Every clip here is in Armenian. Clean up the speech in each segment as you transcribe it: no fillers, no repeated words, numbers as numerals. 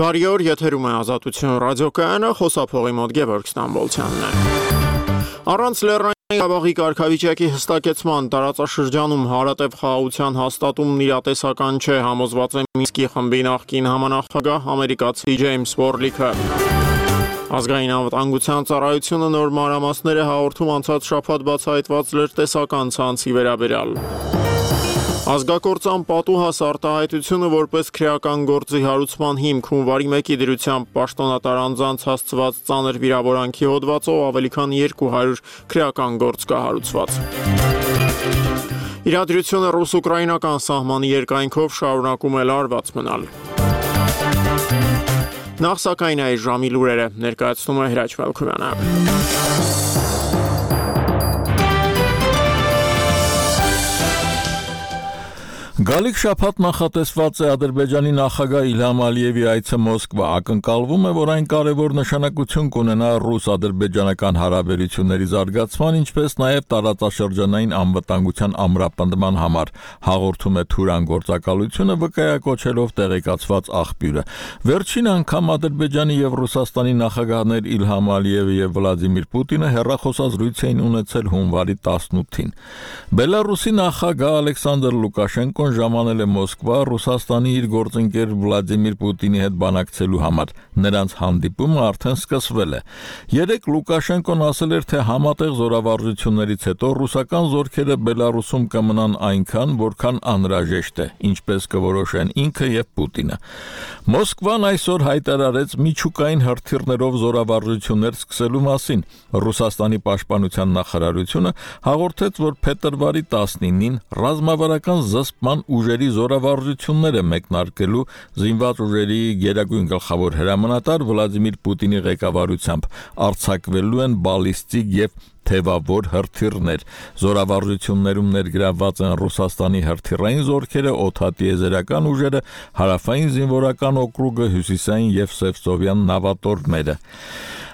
Բարի օր, եթերում է Ազատություն ռադիոկայանը, խոսափողի մոտ Գևորգ Ստամբոլցյանն է։ Առանց Լեռնային Ղարաբաղի կարգավիճակի հստակեցման տարածաշրջանում հարատև խաղաղության հաստատումն իրատեսական չէ, համոզված է Մինսկի խմբի նախկին համանախագահ ամերիկացի Ջեյմս Վորլիքը։ Ազգային անվտանգության ծառայությունը նոր մանրամասներ է հաղորդում անցած շաբաթ բացահայտված լրտեսական ցանցի վերաբերյալ։ Ազգակործան պատուհաս արտահայտությունը որպես քրեական գործի հարուցման հիմք հունվարի 1-ի դրությամբ պաշտոնատար անձանց հասցված ծանր վիրավորանքի հոդվածով ավելի քան 200 քրեական գործ կա հարուցված։ Իրադրությունը ռուս-ուկրաինական սահմանի երկայնքով շարունակում է լարված մնալ։ Նախ սակայն այս ժամի լուրերը ներկայացնում է Հրաչ Մելքումյանը։ Գալիք շաբաթ նախատեսված է Ադրբեջանի նախագահ Իլհամ Ալիևի այցը Մոսկվա, ակնկալվում է, որ այն կարևոր նշանակություն կունենա ռուս-ադրբեջանական հարաբերությունների զարգացման, ինչպես նաև տարածաշրջանային անվտանգության ամրապնդման համար, հաղորդում է Թուրան գործակալությունը վկայակոչելով տեղեկացված աղբյուրը։ Վերջին անգամ Ադրբեջանի եւ Ռուսաստանի նախագահներ Իլհամ Ալիևը եւ Վլադիմիր Պուտինը հեռախոսազրույց էին ունեցել հունվարի 18-ին։ Բելարուսի նախագահ Ալեքսանդր Լուկաշենկոն ժամանել է Մոսկվա Ռուսաստանի իր գործընկեր Վլադիմիր Պուտինի հետ բանակցելու համար։ Նրանց հանդիպումը արդեն սկսվել է։ Երեկ Լուկաշենկոն ասել էր, թե համատեղ զորավարժություններից հետո ռուսական զորքերը Բելարուսում կմնան այնքան, որքան անհրաժեշտ է, ինչպես կորոշեն ինքը եւ Պուտինը։ Մոսկվան այսօր հայտարարեց միջուկային հրթիռներով զորավարժություններ սկսելու մասին։ Ռուսաստանի պաշտպանության նախարարությունը հաղորդեց, որ փետրվարի 19-ին ռազմավարական զսպման ուժերի զորավարժություններ է մեկնարկելու զինված ուժերի գերագույն գլխավոր հրամանատար Վլադիմիր Պուտինի ղեկավարությամբ, արձակվելու են բալիստիկ եւ թևավոր հրթիռներ։ Զորավարժություններում ներգրավված են Ռուսաստանի հրթիռային զորքերը, օդատիեզերական ուժերը, հարավային զինվորական օկրուգը, հյուսիսային եւ Սևծովյան նավատորմերը։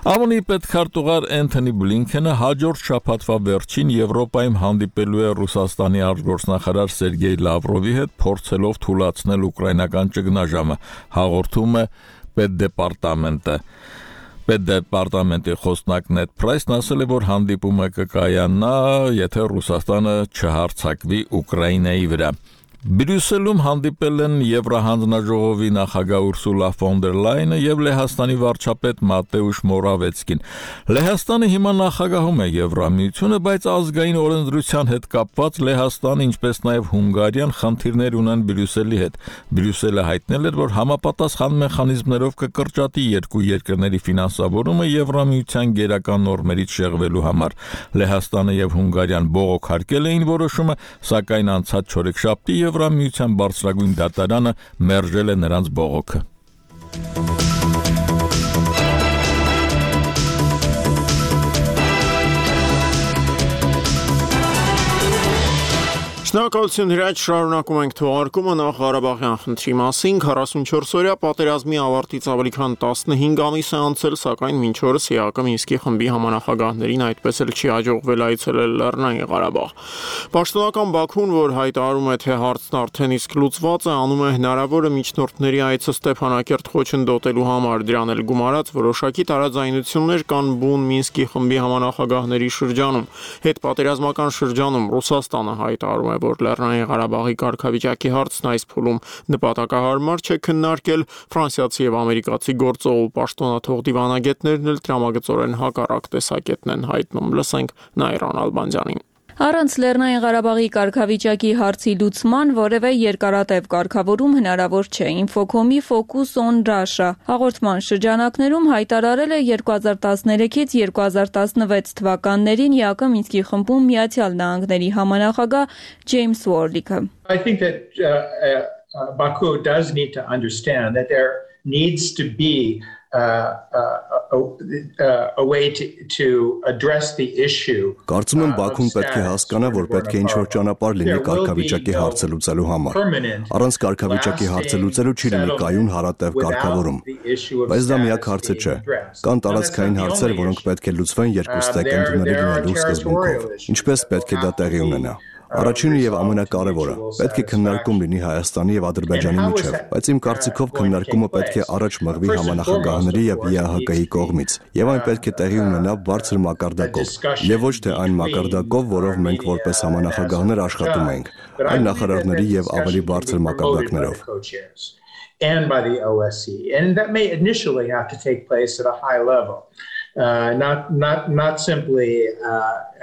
ԱՄՆ-ի պետքարտուղար Էնթոնի Բլինքենը հաջորդ շաբաթվա վերջին Եվրոպայում հանդիպելու է Ռուսաստանի արտգործնախարար Սերգեյ Լավրովի հետ, փորձելով թույլատնել ուկրաինական ճգնաժամը, հաղորդում է Պետդեպարտամենտը։ Պետդեպարտամենտի խոսնակ Նեդ Պրայսն ասել է, որ հանդիպումը կկայանա, եթե Ռուսաստանը չհարձակվի Ուկրաինայի վրա։ Բրյուսելում հանդիպել են Եվրահանձնաժողովի նախագահ Ուրսուլա ֆոն դեր Լայենը եւ Լեհաստանի վարչապետ Մատեուշ Մորավեցկին։ Լեհաստանը հիմա նախագահում է Եվրամիությունը, բայց ազգային օրենսդրության հետ կապված Լեհաստանը, ինչպես նաեւ Հունգարիան խնդիրներ ունեն Բրյուսելի հետ։ Բրյուսելը հայտնել էր, որ համապատասխան մեխանիզմներով կկրճատի երկու երկրների ֆինանսավորումը Եվրամիության գերական նորմերից շեղվելու համար։ Լեհաստանը եւ Հունգարիան բողոքարկել էին որոշումը, սակայն անցած չորեքշաբթի Եվրամիության բարձրագույն դատարանը մերժել է նրանց բողոքը։ Շնորհակալություն Հրաչ, շարունակում ենք թողարկումը նախ Ղարաբաղյան խնդրի մասին։ 44-օրյա պատերազմի ավարտից ավելի քան 15 ամիս է անցել, սակայն մինչ օրս ԵԱԿ Մինսկի խմբի համանախագահներին այդպես էլ չի հաջողվել այցելել Լեռնային Ղարաբաղ։ Պաշտոնական Բաքուն, որ հայտարարում է, թե հարցն արդեն իսկ լուծված է, անում է հնարավորը միջնորդների այցը Ստեփանակերտ խոչընդոտելու համար, դրան էլ գումարած որոշակի տարաձայնություններ կան բուն Մինսկի խմբի համանախագահների շրջանում։ Հետպատերազմական շրջանում Ռուսաստանը հայտարարում է, որ Լեռնային Ղարաբաղի կարգավիճակի հարցն այս փուլում նպատակահարմար չէ քննարկել, ֆրանսիացի եւ ամերիկացի գործող ու պաշտոնաթող դիվանագետներն էլ տրամագծորեն հակառակ տեսակետն են հայտնում։ Լսենք Նայրան Ալբանդյանին։ Առանց Լեռնային Ղարաբաղի կարգավիճակի հարցի լուծման որևէ երկարատև կարգավորում հնարավոր չէ։ Infocom-ի Focus on Russia հաղորդման շրջանակներում հայտարարել է 2013-ից 2016 թվականներին ԵԱԿ Մինսկի խմբում Միացյալ Նահանգների համանախագահ Ջեյմս Վորլիքը։ I think that Baku does need to understand that there needs to be a way to address the issue. Կարծում եմ Բաքուն պետք է հասկանա, որ պետք է ինչ-որ ճանապարհ լինի կարգավիճակի հարցը լուծելու համար։ Առանց կարգավիճակի հարցը լուծելու չի լինի կայուն հարատև կարգավորում։ Բայց դա միակ հարցը չէ։ Կան տարածքային հարցեր, որոնք պետք է լուծվեն երկուստեք ընդունելի լինելու սկզբունքով։ Ինչպես պետք է դա տեղի ունենա։ Առաջինը եւ ամենակարևորը, պետք է քննարկում լինի Հայաստանի եւ Ադրբեջանի միջեւ, բայց իմ կարծիքով քննարկումը պետք է առաջ մղվի համանախագահների եւ ԵԱՀԿ-ի կողմից, եւ այն պետք է տեղի ունենա բարձր մակարդակով, եւ ոչ թե այն մակարդակով, որով մենք որպես համանախագահներ աշխատում ենք, այլ նախարարների եւ ավելի բարձր մակարդակներով. And by the OSCE, and that may initially have to take place at a high level, not simply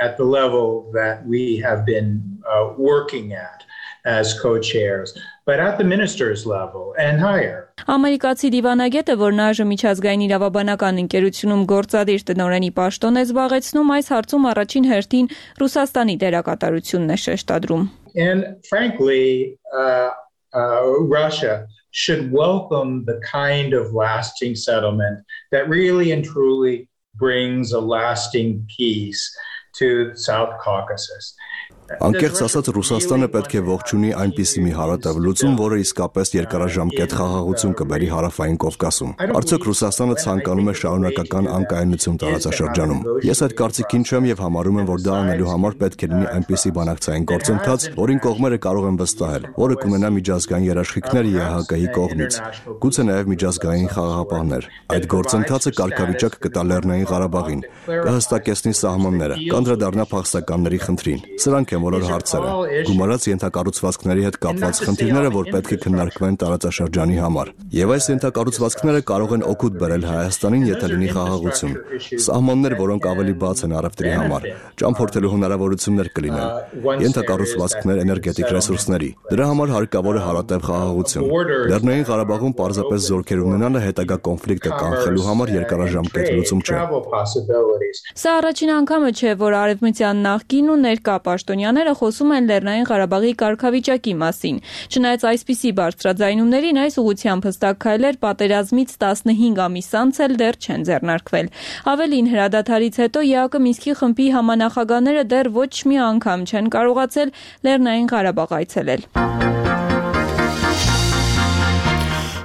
at the level that we have been working at as co-chairs, but at the ministers' level and higher. Ամերիկացի դիվանագետը, որն այժմ միջազգային իրավաբանական ընկերությունում գործադիր տնօրենի պաշտոն է զբաղեցնում, այս հարցում առաջին հերթին Ռուսաստանի դերակատարությունն է շեշտադրում. And frankly, Russia should welcome the kind of lasting settlement that really and truly brings a lasting peace to the South Caucasus. Անկեղծ ասած, Ռուսաստանը պետք է ողջունի այնպիսի մի հարատև լուծում, որը իսկապես երկարաժամկետ խաղաղություն կբերի Հարավային Կովկասում։ Արդյոք Ռուսաստանը ցանկանում է շարունակական անկայունություն տարածաշրջանում։ Ես այդ կարծիքին չեմ եւ համարում եմ, որ դա անելու համար պետք է լինի այնպիսի բանակցային գործընթաց, որին կողմերը կարող են վստահել, որը կունենա միջազգային երաշխիքներ ԵԱՀԿ-ի կողմից, գուցե նաեւ միջազգային խաղաղապահներ։ Այդ գործընթացը կարգավիճակ կտա Լեռնային Ղարաբաղին, կհստակեցնի սահմանները, կանդրադառնա փախստականների խնդրին։ Սրանք են բոլոր հարցերը, գումարած ենթակառուցվածքների հետ կապված խնդիրները, որ պետք է քննարկվեն տարածաշրջանի համար։ Եվ այս ենթակառուցվածքները կարող են օգուտ բերել Հայաստանին, եթե լինի խաղաղություն։ Սահմաններ, որոնք ավելի բաց են առևտրի համար, ճամփորդելու հնարավորություններ կլինեն, ենթակառուցվածքներ էներգետիկ ռեսուրսների։ Դրա համար հարկավոր է հարատև խաղաղություն։ Լեռնային Ղարաբաղում պարզապես զորքեր ունենալը հետագա կոնֆլիկտը կանխելու համար երկարաժամկետ լուծում չէ։ Սա առաջին անգամը չէ, որ արևմտյան նախկին ու ներկա պաշտոնյաները խոսում են Լեռնային Ղարաբաղի կարգավիճակի մասին։ Չնայած այսպիսի բարձրաձայնումներին, այս ուղղությամբ հստակ քայլեր պատերազմից 15 ամիս անց էլ դեռ չեն ձեռնարկվել։ Ավելին, հրադադարից հետո ԵԱՀԿ Մինսկի խմբի համանախագահները դեռ ոչ մի անգամ չեն կարողացել Լեռնային Ղարաբաղ այցելել։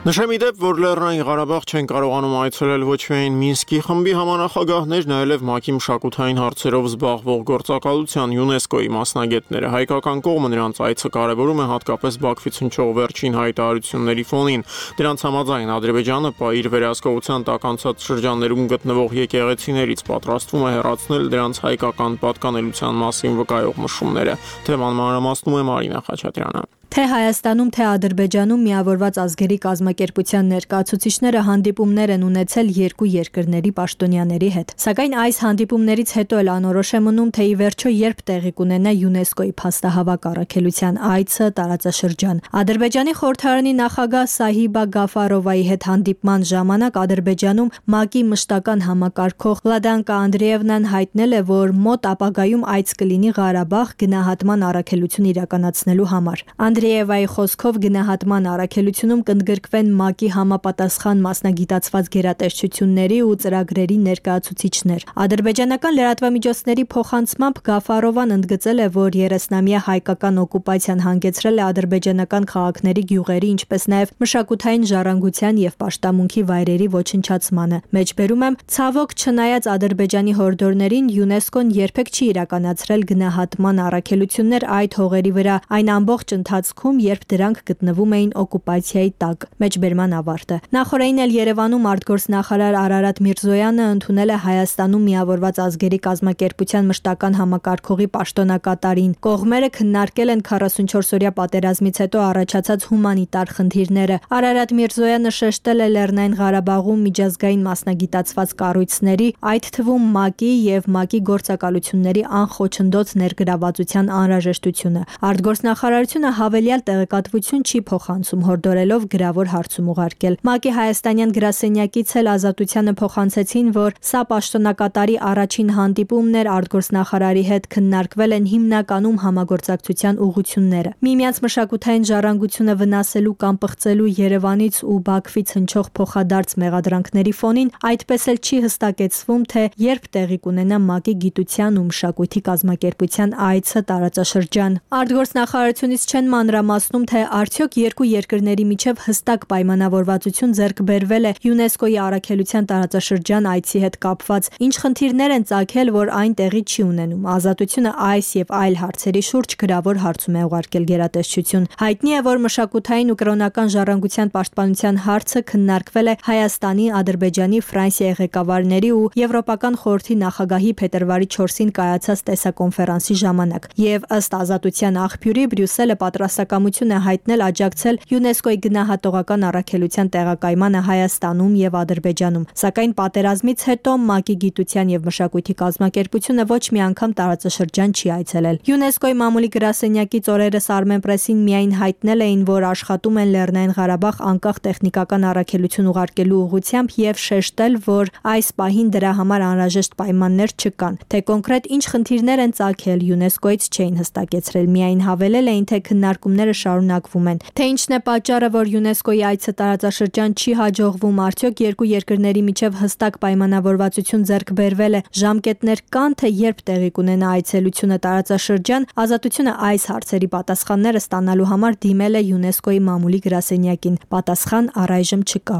Նշեմ իդեպ, որ Լեռնային Ղարաբաղ չեն կարողանում այցելել ոչ միայն Մինսկի խմբի համանախագահներն, այլև ՄԱԿ-ի մշակութային հարցերով զբաղվող գործակալության ՅՈՒՆԵՍԿՕ-ի մասնագետները։ Հայկական կողմը նրանց այցը կարևորում է հատկապես Բաքվից հնչող վերջին հայտարարությունների ֆոնին։ Դրանց համաձայն Ադրբեջանը իր վերահսկողության տակ անցած շրջաններում գտնվող եկեղեցիներից պատրաստվում է հեռացնել դրանց հայկական պատկանելիության մասին վկայող նշումները։ Թեման մանրամասնում է Մարինա Խաչատրյանը։ Թե Հայաստանում, թե Ադրբեջանում միավորված ազգերի կազմակերպության ներկայացուցիչները հանդիպումներ են ունեցել երկու երկրների պաշտոնյաների հետ։ Սակայն այս հանդիպումներից հետո էլ անորոշ է մնում, թե ի վերջո երբ տեղի կունենա ՅՈՒՆԵՍԿՕ-ի փաստահավաք առաքելության այցը տարածաշրջան։ Ադրբեջանի խորհրդարանի նախագահ Սահիբա Գաֆարովայի հետ հանդիպման ժամանակ Ադրբեջանում ՄԱԿ-ի մշտական համակարգող Լադանկա Անդրեևնան հայտնել է, որ մոտ ապագայում այց կլինի Ղարաբաղ գնահատման առաքելություն իրականացնելու համար։ Անդրեևայի խոսքով գնահատման առաքելությունում կընդգրկվեն ՄԱԿ-ի համապատասխան մասնագիտացված գերատեսչությունների ու ծրագրերի ներկայացուցիչներ։ Ադրբեջանական լրատվամիջոցների փոխանցմամբ Գաֆարովան ընդգծել է, որ 30-ամյա հայկական օկուպացիան հանգեցրել է ադրբեջանական քաղաքների, գյուղերի, ինչպես նաև մշակութային ժառանգության եւ պաշտամունքի վայրերի ոչնչացմանը։ Մեջբերում եմ, ցավոք, չնայած Ադրբեջանի հորդորներին, ՅՈՒՆԵՍԿՕ-ն երբեք չի իրականացրել գնահատման առաքելություններ այդ հողերի վրա, այն ամբողջ ընթացքում, երբ դրանք գտնվում էին օկուպացիայի տակ։ Մեջբերման ավարտը։ Նախորդին էլ Երևանում արտգործնախարար Արարատ Միրզոյանը ընդունել է Հայաստանում միավորված ազգերի կազմակերպության մշտական համակարգողի պաշտոնակատարին։ Կողմերը քննարկել են 44-օրյա պատերազմից հետո առաջացած հումանիտար խնդիրները։ Արարատ Միրզոյանը շեշտել է Լեռնային Ղարաբաղում միջազգային մասնագիտացված կառույցների, այդ թվում ՄԱԿ-ի եւ ՄԱԿ-ի գործակալությունների անխոչնդոտ ներգրավվածության անհրաժեշտությունը։ Արտգործնախարարությունը հավելյալ տեղեկատվություն չի փոխանցում, հորդորելով գրավոր հարցում ուղարկել։ ՄԱԿ-ի հայաստանյան գրասենյակից էլ Ազատությանը փոխանցեցին, որ սա պաշտոնակատարի առաջին հանդիպումն էր, արտգործնախարարի հետ քննարկվել են հիմնականում համագործակցության ուղղությունները։ Միմյանց մշակութային ժառանգությունը վնասելու կամ պղծելու Երևանից ու Բաքվից հնչող փոխադարձ մեղադրանքների ֆոնին այդպես էլ չի հստակեցվում, թե երբ տեղի կունենա ՄԱԿ-ի գիտության ու մշակույթի կազմակերպության այցը տարածաշրջան։ Արտգործնախարարությունից չեն մանրամասնում, թե արդյոք երկու երկրների միջև հստակ պայմանավորվածություն ձեռք բերվել է ՅՈՒՆԵՍԿՕ-ի առաքելության տարածաշրջան այցի հետ կապված, ինչ խնդիրներ են ծագել, որ այն տեղի չի ունենում։ Ազատությունը այս եւ այլ հարցերի շուրջ գրավոր հարցում է ուղարկել գերատեսչություն։ Հայտնի է, որ մշակութային ու կրոնական ժառանգության պաշտպանության հարցը քննարկվել է Հայաստանի, Ադրբեջանի, Ֆրանսիայի ղեկավարների ու Եվրոպական խորհրդի նախագահի փետրվարի 4-ին կայացած տեսակոնֆերանսի ժամանակ։ Եվ ըստ ազատության աղբյուրի Բրյուսելը պատրաստակամություն է հայտնել աջակցել ՅՈՒՆԵՍԿՕ-ի գնահատողական առաքելության տեղակայմանը Հայաստանում եւ Ադրբեջանում։ Սակայն պատերազմից հետո ՄԱԿ-ի գիտության եւ մշակույթի կազմակերպությունը ոչ մի անգամ տարածաշրջան չի այցելել։ ՅՈՒՆԵՍԿՕ-ի մամուլի գրասենյակից օրերս Armenpress-ին միայն հայտնել էին, որ աշխատում են Լեռնային Ղարաբաղ անկախ տեխնիկական առաքելություն ուղարկելու ուղղությամբ եւ շեշտել, որ այս պահին դրա համար անհրաժեշտ պայմաններ չկան։ Թե կոնկրետ ինչ խնդիրներ են ծագել, ՅՈՒՆԵՍԿՕ-ից չէին հստակեցրել, միայն հավելել էին, թե քննարկումները շարունակվում են։ Թե ինչն է պատճառը, որ ՅՈՒՆԵՍԿՕ-ի այցը տարածաշրջան չի հաջողվում, արդյոք երկու երկրների միջև հստակ պայմանավորվածություն ձեռք բերվել է, ժամկետներ կան, թե երբ տեղի կունենա այցելությունը տարածաշրջան, Ազատությունը այս հարցերի պատասխանները ստանալու համար դիմել է ՅՈՒՆԵՍԿՕ-ի մամուլի գրասենյակին։ Պատասխան առայժմ չկա։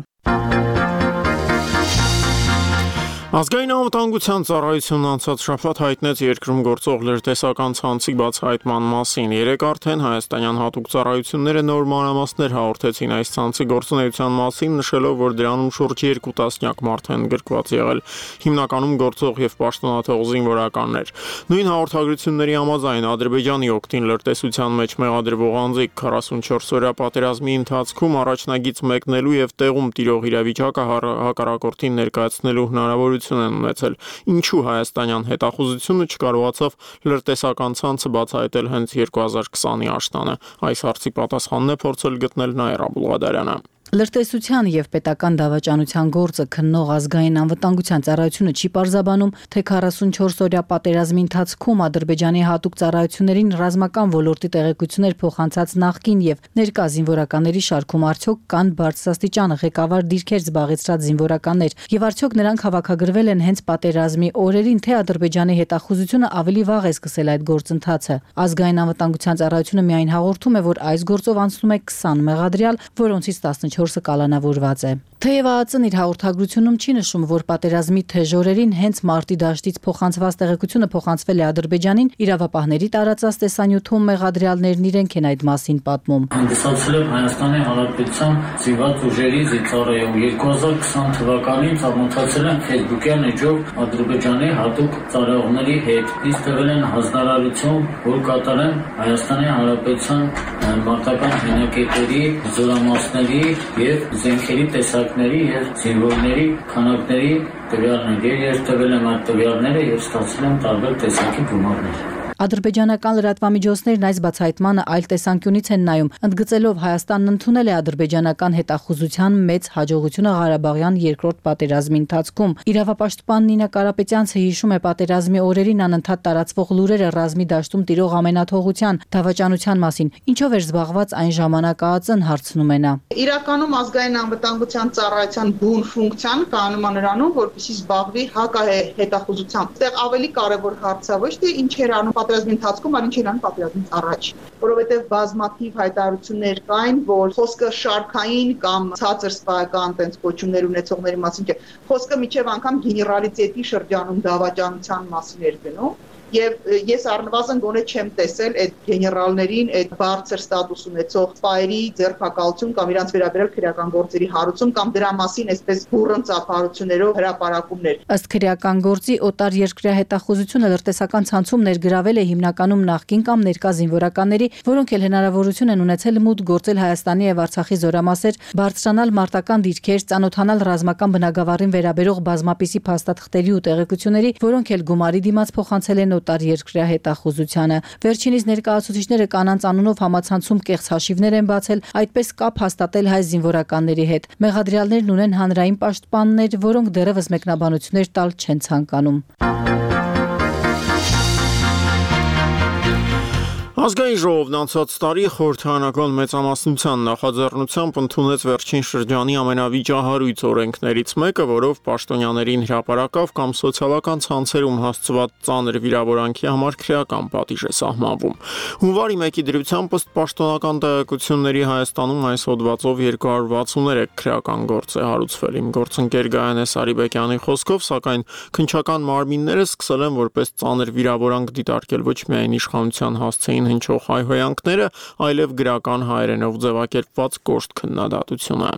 Ազգային անվտանգության ծառայությունն անցած շաբաթ հայտնեց երկրում գործող լրտեսական ցանցի բացահայտման մասին։ Երեկ արդեն հայաստանյան հատուկ ծառայությունները նոր մանրամասներ հաղորդեցին այս ցանցի գործունեության մասին, նշելով, որ դրանում շուրջ 2 տասնյակ մարդ են գրկված եղել, հիմնականում գործող եւ պաշտոնաթող զինվորականներ։ Նույն հաղորդագրությունների համաձայն Ադրբեջանի օգտին լրտեսության մեջ մեղադրվող անձիկ 44-օրյա պատերազմի ընթացքում առաջնագից մեկնելու եւ տեղում տիրող իրավիճակը հակառակորդին ներկայացնելու հնարավորություն են ունեցել, ինչու հայաստանյան հետախուզությունը չկարողացավ լրտեսական ցանցը բացահայտել հենց 2020-ի աշնանը։ Այս հարցի պատասխանն է փորձել գտնել Նաիրա Բուլղադարյանը։ Լրտեսության եւ պետական դավաճանության գործը քննող ազգային անվտանգության ծառայությունը չի պարզաբանում, թե 44-օրյա պատերազմի ընթացքում Ադրբեջանի հատուկ ծառայություններին ռազմական ոլորտի տեղեկություններ փոխանցած նախկին եւ ներկա զինվորականների շարքում արդյոք կան բարձրաստիճան ղեկավար դիրքեր զբաղեցրած զինվորականներ եւ արդյոք նրանք հավաքագրվել են հենց պատերազմի օրերին, թե Ադրբեջանի հետախուզությունը ավելի վաղ է սկսել այդ գործընթացը։ Ազգային անվտանգության ծառայությունը միայն հաղորդում է, որ այս գործով անցնում է 20 մեղադրյալ, որոնցից 14-ը կալանավորված է։ Թեև ԱԱԾ-ն իր հաղորդագրությունում չի նշում, որ պատերազմի թեժ օրերին հենց մարտի դաշտից փոխանցված տեղեկությունը փոխանցվել է Ադրբեջանին, իրավապահների տարածած տեսանյութում մեղադրյալներն իրենք են այդ մասին պատմում։ Հանդիսացել եմ Հայաստանի Հանրապետության զինված ուժերի զինծառայում 2020 թվականին ծանոթացել եմ Facebook-յան էջով Ադրբեջանի հատուկ ծառայողների հետ։ Ինձ տվել են հանձնարարություն, որ կատարեմ Հայաստանի Հանրապետության մարտական հենակետերի, զորամասների եւ զենքերի տեսակների եւ զինվորների քանակների տվյալներ։ Ես տվել եմ այդ տվյալները եւ ստացել եմ տարբեր տեսակի գումարներ։ Ադրբեջանական լրատվամիջոցներն այս բացահայտմանը այլ տեսանկյունից են նայում, ընդգծելով Հայաստանն ընդունել է ադրբեջանական հետախուզության մեծ հաջողությունը Ղարաբաղյան երկրորդ պատերազմի ընթացքում։ Իրավապաշտպան Նինա Կարապետյանցը հիշում է պատերազմի օրերին անընդհատ տարածվող լուրերը ռազմի դաշտում տիրող ամենաթողության, դավաճանության մասին, ինչով էր զբաղված այն ժամանակ ԱԱԾ-ն, հարցնում է նա։ Իրականում ազգային անվտանգության ծառայության բուն ֆունկցիան կայանում է նրանում, որպեսզի զբաղվի հետախուզությամբ։ Այստեղ ավելի կարևոր հարցը ոչ թե ինչ էր անում պատերազմի ընթացքում, այլ ինչ էր անում պատերազմից առաջ, որովհետև բազմաթիվ հայտարարություններ կային, որ խոսքը շարքային կամ ցածր սպայական տենց կոչումներ ունեցողների մասին չէ, խոսքը միջև անգամ գեներալիտետի շրջանում դավաճանության մասին էր գնում։ Եվ ես առնվազն գոնե չեմ տեսել այդ գեներալներին, այդ բարձր ստատուս ունեցող սպայերի ձերբակալություն կամ իրանց վերաբերյալ քրեական գործերի հարուցում կամ դրա մասին այսպես բուրըն ծափարություններով հրապարակումներ։ Ըստ քրեական գործի օտար երկրյա հետախուզությունը լրտեսական ցանցում ներգրավել է հիմնականում նախկին կամ ներկա զինվորականների, որոնք էլ հնարավորություն են ունեցել մուտք գործել Հայաստանի եւ Արցախի զորամասեր, բարձրանալ մարտական դիրքեր, ծանոթանալ ռազմական բնագավառին վերաբերող բազմապիսի փաստաթղթերի ու տեղեկությունների, որոնք էլ գումարի դիմաց փոխանցել են օտար երկրյա հետախուզությանը։ Վերջինիս ներկայացուցիչները կանանց անունով համացանցում կեղծ հաշիվներ են բացել, այդպես կապ հաստատել հայ զինվորականների հետ։ Մեղադրյալներն ունեն հանրային պաշտպաններ, որոնք դեռևս մեկնաբանություններ տալ չեն ցանկանում։ Ազգային ժողովն անցած տարի խորհրդարանական մեծամասնության նախաձեռնությամբ ընդունեց վերջին շրջանի ամենավիճահարույց օրենքներից մեկը, որով պաշտոնյաներին հրապարակավ կամ սոցիալական ցանցերում հասցված ծանր վիրավորանքի համար քրեական պատիժ է սահմանվում։ Հունվարի 1-ի դրությամբ ըստ պաշտոնական տեղեկությունների Հայաստանում այս հոդվածով 263 քրեական գործ է հարուցվել։ Իմ գործընկեր Գայանե Սարիբեկյանի խոսքով, սակայն քննչական մարմինները սկսել են որպես ծանր վիրավորանք դիտարկել ոչ միայն իշխանության հասցեին հնչող հայհոյանքները, այլև գրական հայերենով ձևակերպված կոշտ քննադատությունը։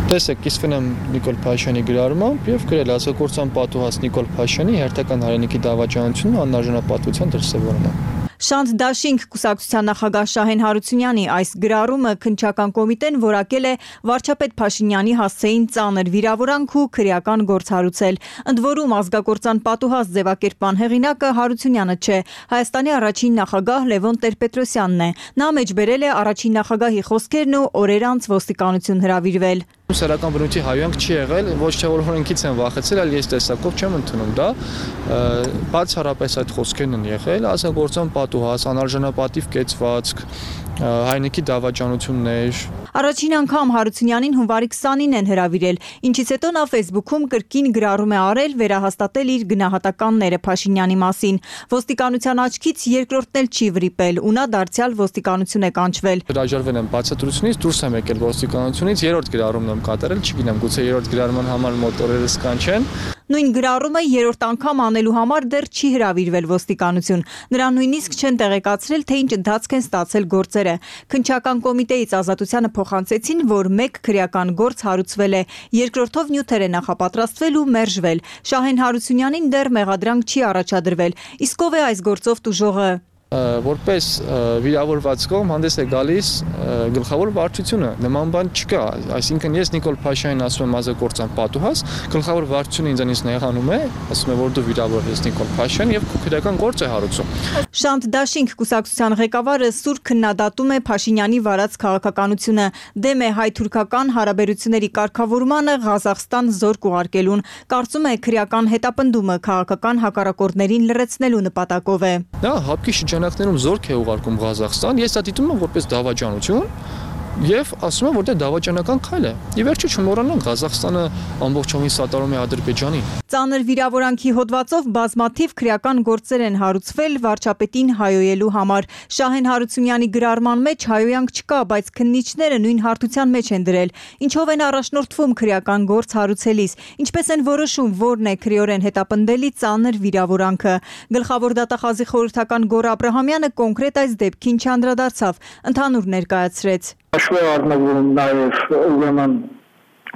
Տեսեք, կիսվել եմ Նիկոլ Փաշյանի գրառմամբ եւ գրել ազգակործան պատուհաս Նիկոլ Փաշյանի հերթական հայրենիքի դավաճանությունը անարժանապատվության դրսևորումը։ Շանթ Դաշինք կուսակցության նախագահ Շահեն Հարությունյանի այս գրառումը քննչական կոմիտեն որակել է վարչապետ Փաշինյանի հասցեին ծանր վիրավորանք ու քրեական գործ հարուցել։ Ընդ որում ազգակործան պատուհաս ձևակերպման հեղինակը Հարությունյանը չէ, Հայաստանի առաջին նախագահ Լևոն Տեր-Պետրոսյանն է։ Նա մեջբերել է առաջին նախագահի խոսքերն ու օրեր անց ոստիկանություն հրավիրվել։ Սեռական բնույթի հայոյանք չի եղել, ոչ թե որ օրենքից են վախեցել, այլ ես տեսակով չեմ ընդունում դա։ Բացառապես այդ խոսքերն են եղել, ազգակործան պատուհաս, անարժանապատիվ կեցվածք, հայրենիքի դավաճանություններ։ Առաջին անգամ Հարությունյանին հունվարի 20-ին են հրավիրել, ինչից հետո նա Facebook-ում կրկին գրառում է արել վերահաստատել իր գնահատականները Փաշինյանի մասին։ Ոստիկանության աչքից երկրորդն էլ չի վրիպել, ու նա դարձյալ ոստիկանություն է կանչվել։ Հրաժարվել եմ բացատրությունից, դուրս եմ եկել ոստիկանությունից, երրորդ գրառումն եմ կատարել, չգիտեմ, գուցե երրորդ գրառման համար մոտորերս կանչեն։ Նույն գրառումը երրորդ անգամ անելու համար դեռ չի հրավիրվել ոստիկանություն։ Նրան նույնիսկ չեն տեղեկացրել, թե ինչ ընթացք են ստացել գործերը։ Քննչական կոմիտեից Ազատությանը փոխանցեցին, որ մեկ քրեական գործ հարուցվել է, երկրորդով նյութեր է նախապատրաստվել ու մերժվել։ Շահեն Հարությունյանին դեռ մեղադրանք չի առաջադրվել։ Իսկ ով է այս գործով տուժողը։ Որպես վիրավորված կողմ հանդես է գալիս գլխավոր վարչությունը, նման բան չկա, այսինքն ես Նիկոլ Փաշյանին ասում եմ ազգակործան պատուհաս, գլխավոր վարչությունը ինձանից նեղանում է, ասում է որ դու վիրավոր ես Նիկոլ Փաշյան եւ քրեական գործ է հարուցում։ Շանթ Դաշինք կուսակցության ղեկավարը սուր քննադատում է Փաշինյանի վարած քաղաքականությունը, դեմ է հայ-թուրքական հարաբերությունների կարգավորմանը Ղազախստան զորք ուղարկելուն, կարծում է քրեական հետապնդումը քաղաքական հակառակորդներին լրացնելու նպատակով է։ Դա հապկի շրջանակներում զորք է ուղարկում Ղազախստան, ես դա դիտում եմ որպես դավաճանություն եւ ասում եմ որ դա դավաճանական քայլ է։ Ի վերջո չմոռանանք Ղազախստանը ամբողջովին սատարում է Ադրբեջանին։ Ծանր վիրավորանքի հոդվածով բազմաթիվ քրեական գործեր են հարուցվել վարչապետին հայոյելու համար։ Շահեն Հարությունյանի գրառման մեջ հայոյանք չկա, բայց քննիչները նույն հարթության մեջ են դրել։ Ինչով են առաջնորդվում քրեական գործ հարուցելիս, ինչպես են որոշում որն է քրեորեն հետապնդելի ծանր վիրավորանքը։ Գլխավոր դատախազի խորհրդական Գոռ Աբրահամյանը կոնկրետ այս դեպքին չանդրադարձավ, ընդհանուր ներկայացրեց։ Հաշվի առնվում նաև ուրեմն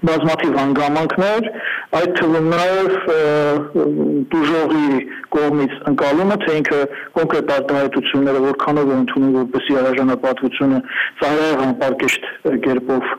բազմաթիվ հանգամանքներ, այդ թվում նաև տուժողի կողմից ընկալումը, թե ինքը կոնկրետ արտահայտությունները որքանով է ընդունում, որպեսզի արժանապատվությունը ծառայող անպարկեշտ կերպով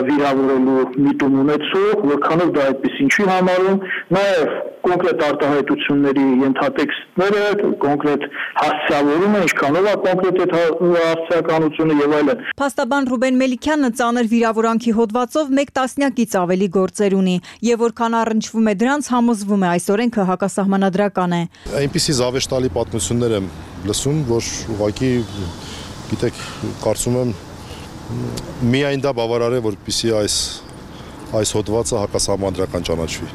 վիրավորելու միտում ունեցող, որքանով դա այդպեսին չի համարում, նաև կոնկրետ արտահայտությունների ենթատեքստները, կոնկրետ հասցեավորումը, ինչքանով է կոնկրետ այդ հասցեականությունը եւ այլն։ Փաստաբան Ռուբեն Մելիքյանը ծանր վիրավորանքի հոդվածով 1 տասնյակից ավելի գործեր ունի եւ որքան առնչվում է դրանց, համոզվում է այս օրենքը հակասահմանադրական է։ Այնպիսի զավեշտալի պատմություններ եմ լսում, որ ուղղակի գիտեք, կարծում եմ միայն դա բավարար է, որպեսզի այս հոդվածը հակասահմանադրական ճանաչվի։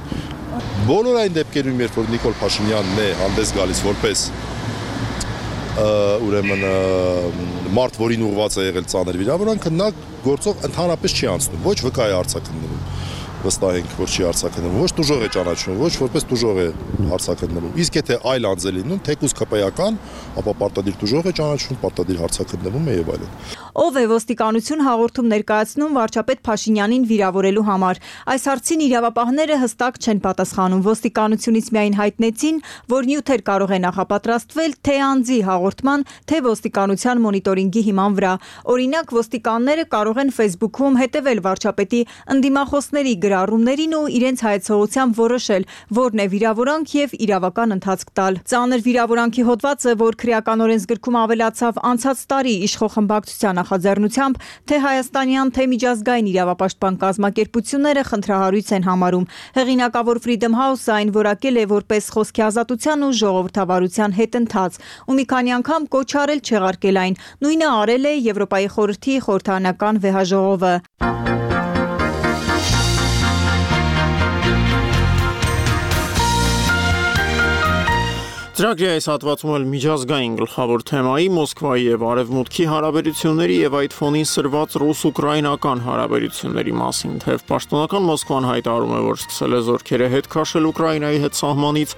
Բոլոր այն դեպքերում, երբ որ Նիկոլ Փաշինյանն է հանդես գալիս որպես ուրեմն մարդ, որին ուղղված է եղել ծանր վիրավորանքը, նա գործով ընդհանրապես չի անցնում, ոչ վկա է արձակնվում, վստահ ենք, որ չի արձակնվում, ոչ տուժող է ճանաչվում, ոչ որպես տուժող է արձակնվում։ Իսկ եթե այլ անձ է լինում, թեկուզ ԿՊ-ական, ապա պարտադիր տուժող է ճանաչվում, պարտադիր հարձակնվում է եւ այլն։ Ով է ոստիկանություն հաղորդում ներկայացնում վարչապետ Փաշինյանին վիրավորելու համար։ Այս հարցին իրավապահները հստակ չեն պատասխանում։ Ոստիկանությունից միայն հայտնեցին, որ նյութեր կարող է նախապատրաստվել թե անձի հաղորդման, թե ոստիկանության մոնիտորինգի հիման վրա։ Օրինակ, ոստիկանները կարող են Facebook-ում հետևել վարչապետի ընդդիմախոսների գրառումներին ու իրենց հայեցողությամբ որոշել, որն է վիրավորանք եւ իրավական ընթացք տալ։ Ծանր վիրավորանքի հոդվածը, որ քրեական օրենսգրքում ավելացավ անցած տարի իշխող խմբակցության նախաձեռնությամբ թե հայաստանյան, թե միջազգային իրավապաշտպան կազմակերպությունները խնդրահարույց են համարում։ Հեղինակավոր Freedom House-ը այն որակել է որպես խոսքի ազատության ու ժողովրդավարության հետընթաց ու մի քանի անգամ կոչ արել չեղարկել այն։ Նույնը արել է Եվրոպայի խորհրդի խորհրդարանական վեհաժողովը։ Ծրագրի այս հատվածում էլ միջազգային գլխավոր թեմայի Մոսկվայի եւ Արևմուտքի հարաբերությունների եւ այդ ֆոնին սրված ռուս-ուկրաինական հարաբերությունների մասին, թեև պաշտոնական Մոսկվան հայտարարում է, որ սկսել է զորքերը հետ քաշել Ուկրաինայի հետ սահմանից,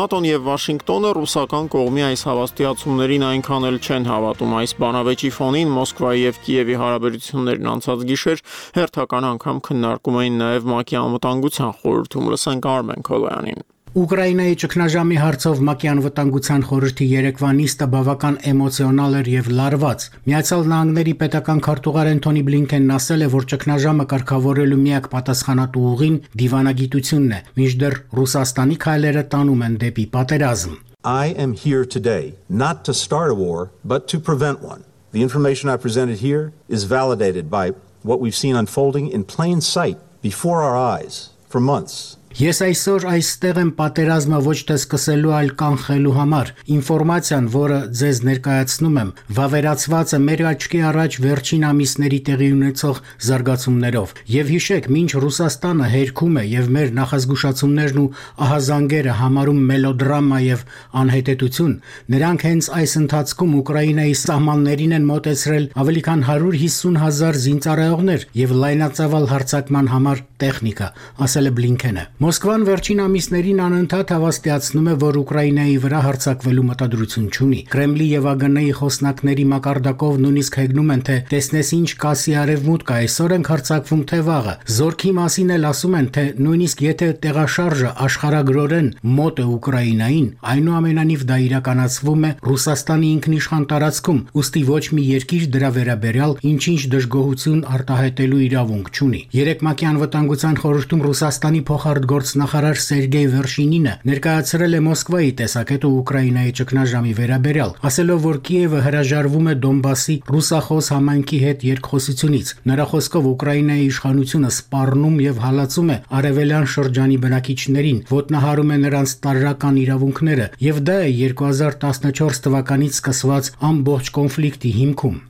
ՆԱՏՕ-ն եւ Վաշինգտոնը ռուսական կողմի այս հավաստիացումներին այնքան էլ չեն հավատում։ Այս բանավեճի ֆոնին Մոսկվայի եւ Կիևի հարաբերություններն անցած գիշեր հերթական անգամ քննարկում էին նաեւ ՄԱԿ-ի անվտանգության խորհրդում։ Լսենք Արմեն Քոլոյանին։ Ուկրաինայի ճգնաժամի հարցով ՄԱԿ-ի անվտանգության խորհրդի երեկվա նիստը բավական էմոցիոնալ էր եւ լարված։ Միացյալ Նահանգների պետական քարտուղար Անթոնի Բլինքենն ասել է, որ ճգնաժամը կարգավորելու միակ պատասխանատու ուղին դիվանագիտությունն է, մինչդեռ Ռուսաստանի քայլերը տանում են դեպի պատերազմ։ I am here today not to start a war, but to prevent one. The information I presented here is validated by what we've seen unfolding in plain sight before our eyes for months. Ես այսօր այստեղ եմ պատերազմը ոչ թե սկսելու, այլ կանխելու համար։ Ինֆորմացիան, որը ձեզ ներկայացնում եմ, վավերացված է մեր աչքի առաջ վերջին ամիսների տեղի ունեցող զարգացումներով։ Եվ հիշեք, մինչ Ռուսաստանը հերքում է եւ մեր նախազգուշացումներն ու ահազանգերը համարում մելոդրամա եւ անհետեցություն, նրանք հենց այս ընթացքում Ուկրաինայի սահմաններին են մոտեցրել ավելի քան 150,000 զինծառայողներ եւ լայնածավալ հարձակման համար տեխնիկա, ասել է Բլինքենը։ Մոսկվան վերջին ամիսներին անընդհատ հավաստիացնում է, որ Ուկրաինայի վրա հարձակվելու մտադրություն չունի։ Կրեմլի եւ ԱԳՆ-ի խոսնակների մակարդակով նույնիսկ հեգնում են, թե տեսնես ինչ կասի արևմուտքը, այսօր ենք հարձակվում թե վաղը։ Զորքի մասին էլ ասում են, թե նույնիսկ եթե տեղաշարժը աշխարհագրորեն մոտ է Ուկրաինային, այնուամենայնիվ դա իրականացվում է Ռուսաստանի ինքնիշխան տարածքում, ուստի ոչ մի երկիր դրա վերաբերյալ ինչ-ինչ դժգոհություն արտահայտելու իրավունք չունի։ Երեք ՄԱԿ-ի անվտանգության խորհրդում Ռուսաստանի փոխարտգործնախարար Սերգեյ Վերշինինը ներկայացրել է Մոսկվայի տեսակետը Ուկրաինայի ճգնաժամի վերաբերյալ, ասելով, որ Կիևը հրաժարվում է Դոնբասի ռուսախոս համայնքի հետ երկխոսությունից։ Նրա խոսքով Ուկրաինայի իշխանությունը սպառնում եւ հալածում է արևելյան շրջանի բնակիչներին, ոտնահարում է նրանց տարրական իրավունքները, եւ դա է 2014 թվականից սկսված ամբողջ կոնֆլիկտի հիմքում։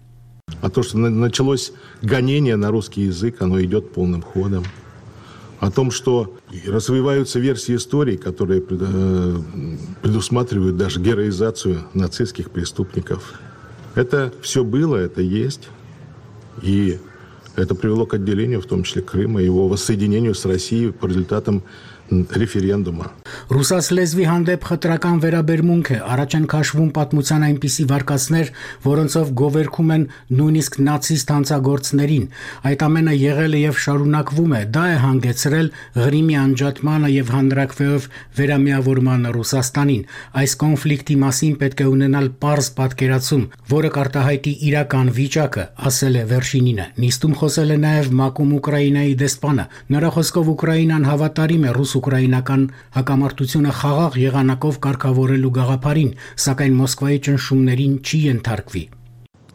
А то, что началось гонение на русский язык, оно идет полным ходом. О том, что развиваются версии истории, которые предусматривают даже героизацию нацистских преступников. Это все было, это есть. И это привело к отделению, в том числе Крыма, его воссоединению с Россией по результатам ռեֆերենդումը։ Ռուսաց լեզվի հանդեպ խտրական վերաբերմունք է, առաջ են քաշվում պատմության այնպիսի վարկածներ, որոնցով գովերքում են նույնիսկ նացիստ հանցագործներին։ Այդ ամենը եղել է եւ շարունակվում է, դա է հանգեցրել Ղրիմի անջատմանը եւ հանրակրվեով վերամիավորմանը Ռուսաստանին։ Այս կոնֆլիկտի մասին պետք է ունենալ պարզ պատկերացում, որը կարտահայտի իրական վիճակը, ասել է Վերշինինը։ Նիստում խոսել է նաեւ ՄԱԿ-ում Ուկրաինայի դեսպանը։ Նրա խոսքով Ուկրաինան հավատարիմ է ռուս-ուկրաինական հակամարտությունը խաղաղ եղանակով կարգավորելու գաղափարին, սակայն Մոսկվայի ճնշումներին չի ենթարկվի։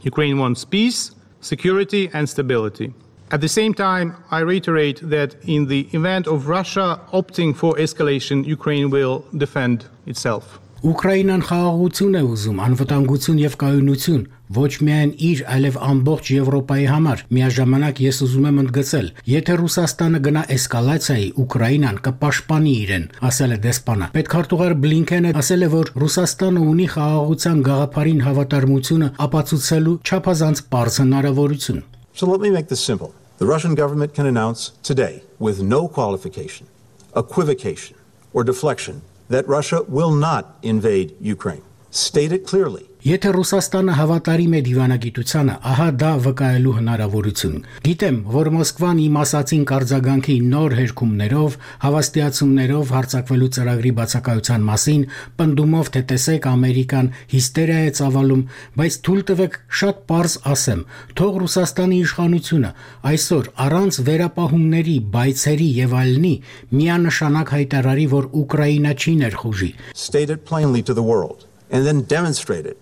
Ukraine wants peace, security and stability. At the same time, I reiterate that in the event of Russia opting for escalation, Ukraine will defend itself. Ուկրաինան խաղաղություն է ուզում, անվտանգություն եւ կայունություն, ոչ միայն իր, այլև ամբողջ Եվրոպայի համար։ Միաժամանակ ես ուզում եմ ընդգծել, եթե Ռուսաստանը գնա էսկալացիայի, Ուկրաինան կպաշտպանի իրեն, ասել է դեսպանը։ Պետքարտուղար Բլինքենը ասել է, որ Ռուսաստանը ունի խաղաղության գաղափարին հավատարմությունը ապացուցելու չափազանց պարզ հնարավորություն։ So let me make this simple. The Russian government can announce today, with no qualification, equivocation, or deflection, that Russia will not invade Ukraine. State it clearly. Եթե Ռուսաստանը հավատարիմ է դիվանագիտությանը, ահա դա վկայելու հնարավորություն։ Գիտեմ, որ Մոսկվան իմ ասացին կարձագանքի նոր հերքումներով, հավաստիացումներով հարձակվելու ծրագրի բացակայության մասին, պնդումով թե տեսեք Ամերիկան հիստերիա է ծավալում, բայց թույլ տվեք շատ պարզ ասեմ, թող Ռուսաստանի իշխանությունը այսօր առանց վերապահումների, բայցերի եւ այլնի միանշանակ հայտարարի, որ Ուկրաինա չի ներխուժի։ State it plainly to the world and then demonstrate it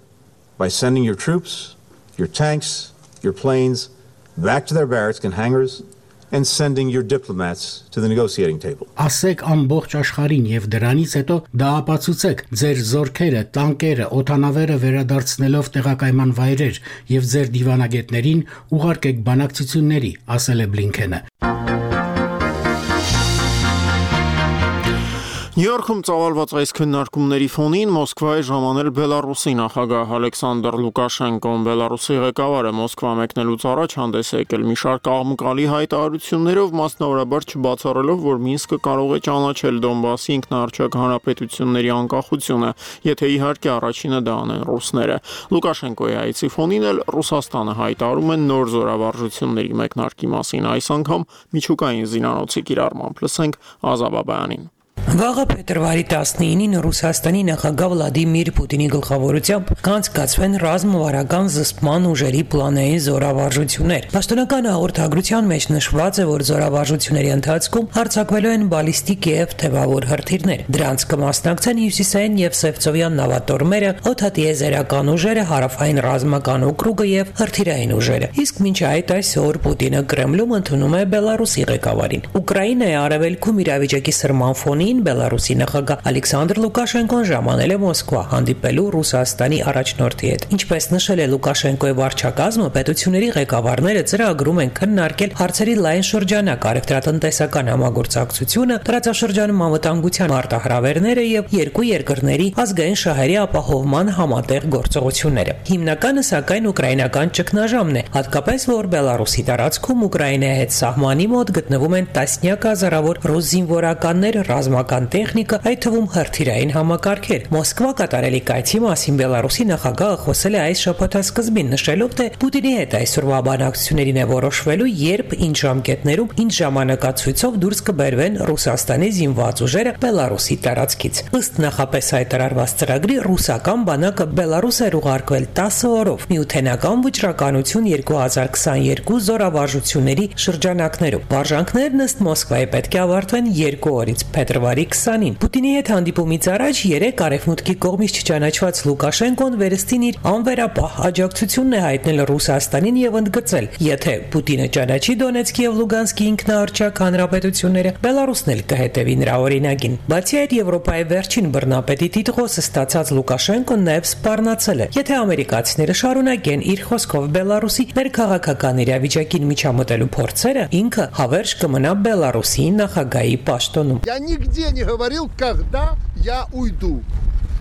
by sending your troops, your tanks, your planes back to their barracks and hangars and sending your diplomats to the negotiating table. Ասեք ամբողջ աշխարհին եւ դրանից հետո դա ապացուցեք ձեր զորքերը, տանկերը, օդանավերը վերադարձնելով տեղակայման վայրեր եւ ձեր դիվանագետներին ուղարկեք բանակցությունների, ասել է Բլինքենը։ Նյու Յորքում ծավալված այս քննարկումների ֆոնին Մոսկվայի ժամանել Բելարուսի նախագահ Ալեքսանդր Լուկաշենկոն Բելարուսի ղեկավարը Մոսկվա մեկնելուց առաջ հանդես է եկել մի շարք աղմկալի հայտարարություններով, մասնավորաբար չբացառելով, որ Մինսկը կարող է ճանաչել Դոնբասի ինքնաառաջակ հանրապետությունների անկախությունը, եթե իհարկե առաջինը դա անեն ռուսները։ Լուկաշենկոյի այցի ֆոնին էլ Ռուսաստանը հայտարարում է նոր զորավարժությունների մեկնարկի մասին, այս անգամ միջուկային զինանոցի կիրառմամբ։ Լսենք Ազաբաբայանին։ Վաղը փետրվարի 19-ին Ռուսաստանի նախագահ Վլադիմիր Պուտինի գլխավորությամբ կանցկացվեն ռազմավարական զսպման ուժերի պլանային զորավարժություններ։ Պաշտոնական հաղորդագրության մեջ նշված է, որ զորավարժությունների ընթացքում հարձակվելու են բալիստիկ եւ թևավոր հրթիռներ։ Դրանց կմասնակցեն հյուսիսային եւ Սևծովյան նավատորմերը, օդատիեզերական ուժերը, հարավային ռազմական օկրուգը եւ հրթիռային ուժերը։ Իսկ մինչ այդ այսօր Պուտինը Կրեմլում ընդունում է Բելարուսի ղեկավարին։ Ուկրաինայի արևելքում իրավիճակի սրման ֆոնին Բելարուսի նախագահ Ալեքսանդր Լուկաշենկոն ժամանել է Մոսկվա հանդիպելու Ռուսաստանի առաջնորդի հետ։ Ինչպես նշել է Լուկաշենկոյի վարչակազմը, պետությունների ղեկավարները ծրագրում են քննարկել հարցերի լայն շրջանակ, առևտրատնտեսական համագործակցությունը, տարածաշրջանում անվտանգության մարտահրավերները եւ երկու երկրների ազգային շահերի ապահովման համատեղ գործողությունները։ Հիմնականը սակայն ուկրաինական ճգնաժամն է, հատկապես որ Բելարուսի տարածքում Ուկրաինայի հետ սահմանի մոտ գտնվում են տասնյակ հազարավոր ռուս զինվորականներ, ռազմական տեխնիկա, այդ թվում հրթիռային համակարգեր։ Մոսկվա կատարելի կայցի մասին Բելարուսի նախագահը խոսել է այս շաբաթասկզբին, նշելով, թե Պուտինի հետ այսօրվա բանակցություններին է որոշվելու, երբ ինչ ժամկետներում, ինչ ժամանակացույցով դուրս կբերվեն Ռուսաստանի զինված ուժերը Բելարուսի տարածքից։ Ըստ նախապես հայտարարված ծրագրի, ռուսական բանակը Բելարուս էր ուղարկվել 10 օրով միութենական վճռականություն 2022 զորավարժությունների շրջանակներում։ Վարժանքներն ըստ Մոսկվայի պետք է ավարտվեն 2 օրից փետրվարի 20-ին։ Պուտինի հետ հանդիպումից առաջ 3 արևմուտքի կողմից չճանաչված Լուկաշենկոն վերստին իր անվերապահ աջակցությունն է հայտնել Ռուսաստանին եւ ընդգծել, եթե Պուտինը ճանաչի Դոնեցկի եւ Լուգանսկի ինքնաառաջակ հանրապետությունները, Բելարուսն էլ կհետևի նրա օրինակին։ Բացի այդ, Եվրոպայի վերջին բռնապետի տիտղոսը ստացած Լուկաշենկոն նաեւ սպառնացել է, եթե ամերիկացիները շարունակեն իր խոսքով Բելարուսի ներքաղաքական իրավիճակին միջամտելու փորձերը, ինքը հավերժ կմնա Բելարուսի նախագահի պաշտոնում։ Я нигде не говорил, когда я уйду.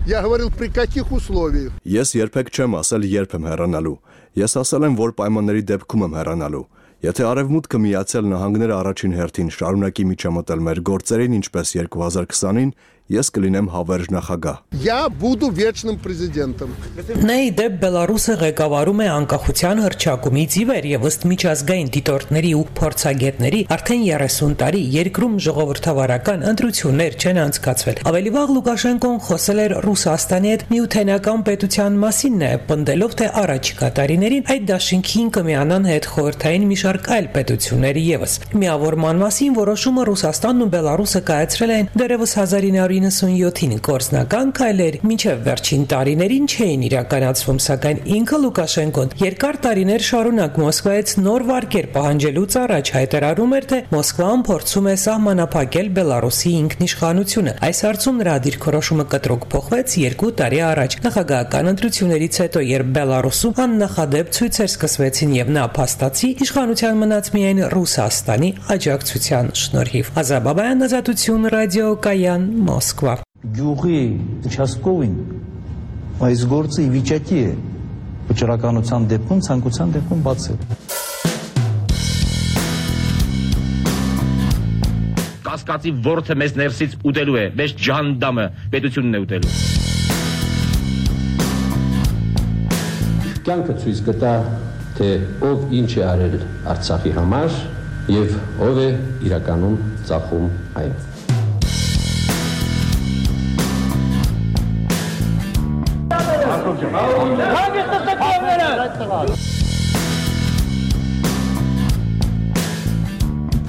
Я говорил, при каких условиях. Ես երբեք չեմ ասել երբ եմ հեռանալու։ Ես ասել եմ, որ պայմանների դեպքում եմ հեռանալու։ Եթե Արևմուտքը Միացյալ Նահանգները առաջին հերթին շարունակի միջամտել մեր գործերին, ինչպես 2020-ին, ես կլինեմ հավերժ նախագահ։ Я буду вечным президентом. Նեյդե Բելարուսը ղեկավարում է անկախության հռչակումից ի վեր եւ ըստ միջազգային դիտորդների ու փորձագետների արդեն 30 տարի երկրում ժողովրդավարական ընտրություններ չեն անցկացվել։ Ավելի վաղ Լուկաշենկոն խոսել էր Ռուսաստանի հետ միութենական պետության մասին, նաեւ պնդելով, թե առաջիկա տարիներին այդ դաշինքին կմիանան հետ խորհրդային մի շարք այլ պետություններ եւս։ Միավորման մասին որոշումը Ռուսաստանն ու Բելարուսը կայացրել են դեռևս 1997-ին գործնական քայլեր մինչև վերջին տարիներին չէին իրականացվում, սակայն ինքը Լուկաշենկոն երկար տարիներ շարունակ Մոսկվայից նոր վարկեր պահանջելուց առաջ հայտարարում էր, թե Մոսկվան փորձում է սահմանափակել Բելարուսի ինքնիշխանությունը։ Այս հարցում նրա դիրքորոշումը կտրուկ փոխվեց 2 տարի առաջ նախագահական ընտրություններից հետո, երբ Բելարուսում աննախադեպ ցույցեր սկսվեցին եւ նա փաստացի իշխանության մնաց միայն Ռուսաստանի աջակցության շնորհիվ։ Ազաբաբայան, Ազատություն, ռադիոկայան, Մոսկվա։ Գյուղի участковին այս գործը ի վիճակի է վճռականության դեպքում, ցանկության դեպքում բացել։ Կասկածի ворթը մեզ ներսից ուտելու է, մեզ ջանդամը պետությունն է ուտելու։ Կյանքը ցույց կտա, թե ով ինչ է արել Արցախի համար եւ ով է իրականում ծախում այն։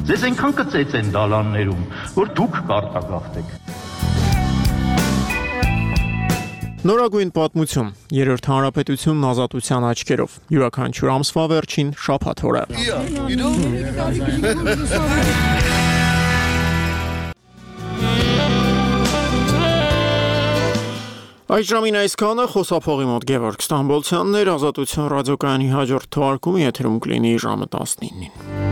Ձեզ այնքան կծեց են դալաններում, որ դուք կարտագաղթեք։ Նորագույն պատմություն. Երրորդ հանրապետությունն ազատության աչքերով։ Յուրաքանչյուր ամսվա վերջին շաբաթ օրը։ Այս ժամին այսքանը խոսափողի մոտ Գևորգ Ստամբոլցյանն էր, Ազատություն ռադիոկայանի հաջորդ թողարկումը եթերում կլինի ժամը 19-ին։